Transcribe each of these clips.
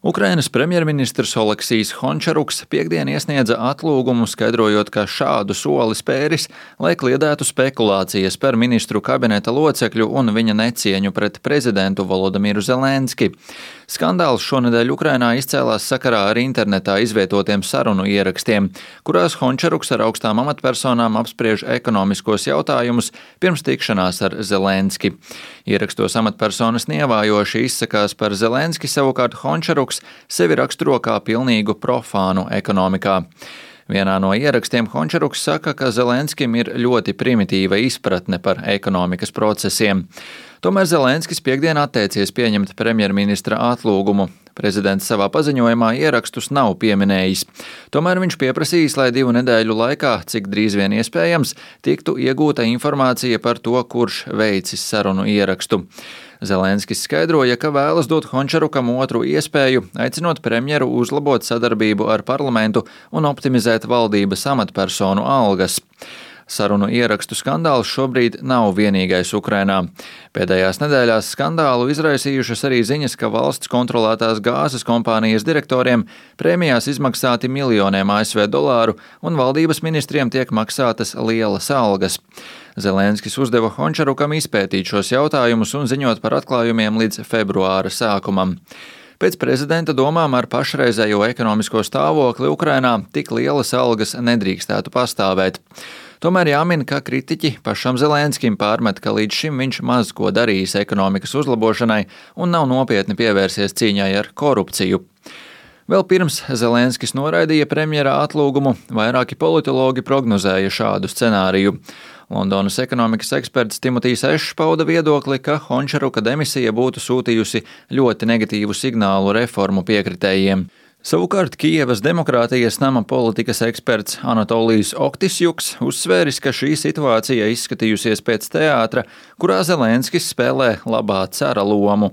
Ukrainas premjerministrs Oleksijs Hončaruks piektdien iesniedza atlūgumu, skaidrojot, ka šādu soli spēris, lai kliedētu spekulācijas par ministru kabineta locekļu un viņa necieņu pret prezidentu Volodimiru Zelenski. Skandāls šonedēļ Ukrainā izcēlās sakarā ar internetā izvietotiem sarunu ierakstiem, kurās Hončaruks ar augstām amatpersonām apspriež ekonomiskos jautājumus pirms tikšanās ar Zelenski. Ierakstos amatpersonas nievājoši izsakās par Zelenski, savukārt Hončaruks sevi raksturo kā pilnīgu profānu ekonomikā. Vienā no ierakstiem Hončaruks saka, ka Zelenskim ir ļoti primitīva izpratne par ekonomikas procesiem. Tomēr Zelenskis piektdien atteicies pieņemt premjerministra atlūgumu. Prezidents savā paziņojumā ierakstus nav pieminējis. Tomēr viņš pieprasījis, lai 2 nedēļu laikā, cik drīz vien iespējams, tiktu iegūta informācija par to, kurš veicis sarunu ierakstu. Zelenskis skaidroja, ka vēlas dot Hončarukam otru iespēju, aicinot premjeru uzlabot sadarbību ar parlamentu un optimizēt valdības amatpersonu algas. Sarunu ierakstu skandāls šobrīd nav vienīgais Ukrainā. Pēdējās nedēļās skandālu izraisījušas arī ziņas, ka valsts kontrolētās gāzes kompānijas direktoriem prēmijās izmaksāti miljoniem ASV dolāru un valdības ministriem tiek maksātas lielas algas. Zelenskis uzdeva Hončarukam izpētīt šos jautājumus un ziņot par atklājumiem līdz februāra sākumam. Pēc prezidenta domām ar pašreizējo ekonomisko stāvokli Ukrainā tik lielas algas nedrīkstētu pastāvēt. Tomēr jāmin, ka kritiķi pašam Zelenskim pārmet, ka līdz šim viņš maz ko darījis ekonomikas uzlabošanai un nav nopietni pievērsies cīņai ar korupciju. Vēl pirms Zelenskis noraidīja premjera atlūgumu, vairāki politologi prognozēja šādu scenāriju. Londonas ekonomikas eksperts Timotijs Ešs pauda viedokli, ka Hončaruka demisija būtu sūtījusi ļoti negatīvu signālu reformu piekritējiem. Savukārt Kijevas demokrātijas nama politikas eksperts Anatolijs Oktisjuks uzsvēris, ka šī situācija izskatījusies pēc teātra, kurā Zelenskis spēlē labā cara lomu.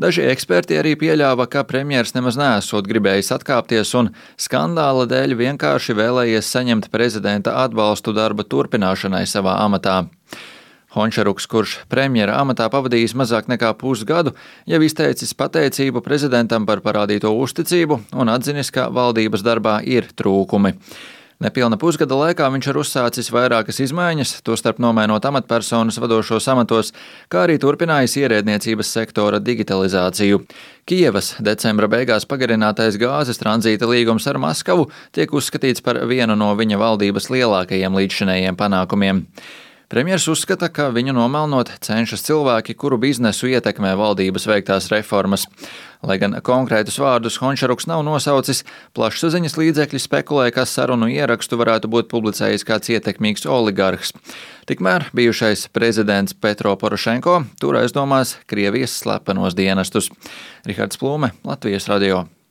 Daži eksperti arī pieļāva, ka premjers nemaz neesot gribējis atkāpties un skandāla dēļ vienkārši vēlējies saņemt prezidenta atbalstu darba turpināšanai savā amatā. Hončaruks, kurš premjera amatā pavadījis mazāk nekā pusgadu, jau izteicis pateicību prezidentam par parādīto uzticību un atzinis, ka valdības darbā ir trūkumi. Nepilna pusgada laikā viņš ir uzsācis vairākas izmaiņas, tostarp nomainot amatpersonas vadošos amatos, kā arī turpinājis ierēdniecības sektora digitalizāciju. Kijevas decembra beigās pagarinātais gāzes tranzīta līgums ar Maskavu tiek uzskatīts par vienu no viņa valdības lielākajiem līdzšinējiem panākumiem. Premjers uzskata, ka viņu nomelnot cenšas cilvēki, kuru biznesu ietekmē valdības veiktās reformas. Lai gan konkrētus vārdus Hončaruks nav nosaucis, plašsaziņas līdzekļi spekulē, ka sarunu ierakstu varētu būt publicējis kāds ietekmīgs oligarhs. Tikmēr bijušais prezidents Petro Porošenko tur aizdomās Krievijas slepenos dienestus. Rihards Plūme, Latvijas radio.